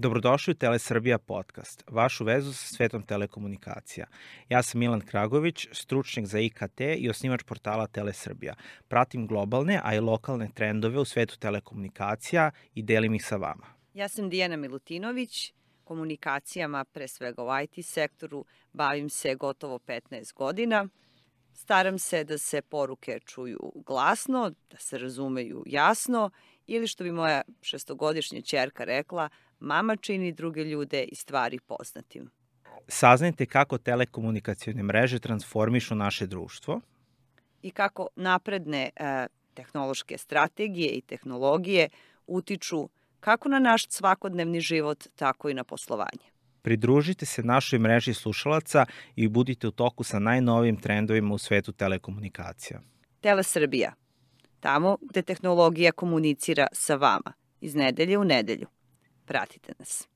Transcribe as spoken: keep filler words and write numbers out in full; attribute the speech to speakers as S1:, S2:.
S1: Dobrodošli u Telesrbija podcast, vašu vezu sa svetom telekomunikacija. Ja sam Milan Kragović, stručnjak za I K T i osnivač portala Telesrbija. Pratim globalne, a i lokalne trendove u svetu telekomunikacija i delim ih sa vama.
S2: Ja sam Dijana Milutinović, komunikacijama, pre svega u I T sektoru, bavim se gotovo petnaest godina. Staram se da se poruke čuju glasno, da se razumeju jasno ili što bi moja šestogodišnja ćerka rekla, mama čini druge ljude i stvari poznatim.
S1: Saznajte kako telekomunikacione mreže transformišu naše društvo
S2: I kako napredne e, tehnološke strategije i tehnologije utiču kako na naš svakodnevni život, tako i na poslovanje.
S1: Pridružite se našoj mreži slušalaca i budite u toku sa najnovijim trendovima u svetu telekomunikacija.
S2: Telesrbija, tamo gde tehnologija komunicira sa vama, iz nedelje u nedelju. Pratite nas.